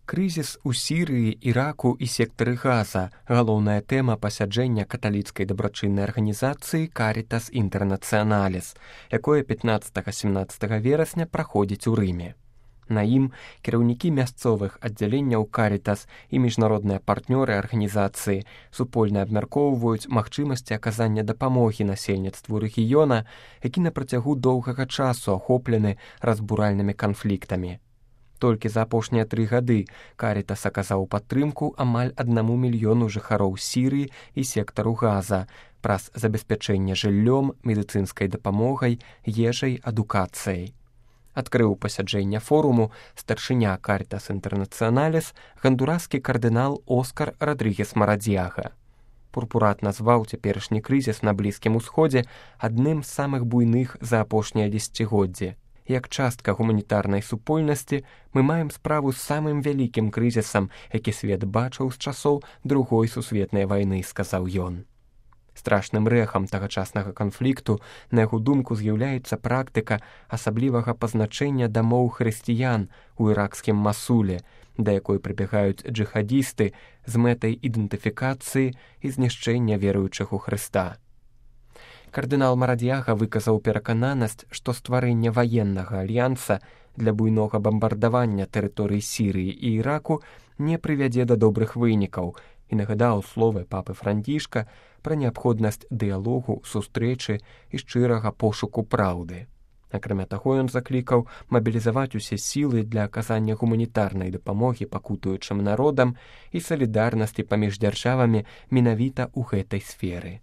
Крызіс у Сірыі, Іраку і сектары Газа – галоўная тэма пасяджэння каталіцкай дабрачыннай арганізацыі «Карітас Інтэрнацыяналіс», якое 15-17 верасня праходзіць у Рыме. На ім кіраўнікі мясцовых аддзяленняў «Карітас» і міжнародныя партнёры арганізацыі супольна абмяркоўваюць магчымасці аказання дапамогі насельніцтву рэгіёна, які на працягу доўгага часу ахоплены разбуральнымі канфліктамі. Толькі за апошнія 3 гады «Карітас» аказаў падтрымку амаль 1 мільёну жыхароў Сірыі і сектару Газа праз забеспячэнне жыллём, медыцынскай дапамогай, ежай, адукацыяй. Адкрыў пасяджэнне форуму старшыня «Карітас Інтэрнацыяналіс» гондураскі кардынал Оскар Родригес Марадзьяга. Пурпурат назваў цяперашні крызіс на Блізкім Усходзе адным з самых буйных за апошнія дзесяцігоддзі. Як частка гуманітарнай супольнасці мы маем справу з самым вялікім крызісам, які свет бачыў з часоў Другой сусветнай вайны, сказаў ён. Страшным рэхам тагачаснага канфлікту, на яго думку, з'яўляецца практыка асаблівага пазначэння дамоў хрысціян у іракскім Масуле, да якой прыбягаюць джыхадісты з мэтай ідэнтыфікацыі і знішчэння веруючых у Хрыста. Кардынал Марадзьяга выказаў перакананасць, што стварэнне ваеннага альянса для буйнога бамбардавання тэрыторый Сірыі і Іраку не прывядзе да добрых вынікаў і нагадаў словы папы Францішка пра неабходнасць дыялогу, сустрэчы і шчырага пошуку праўды. Акрамя таго, ён заклікаў мабілізаваць усе сілы для аказання гуманітарнай дапамогі пакутуючым народам і салідарнасці паміж дзяржавамі менавіта ў гэтай сферы.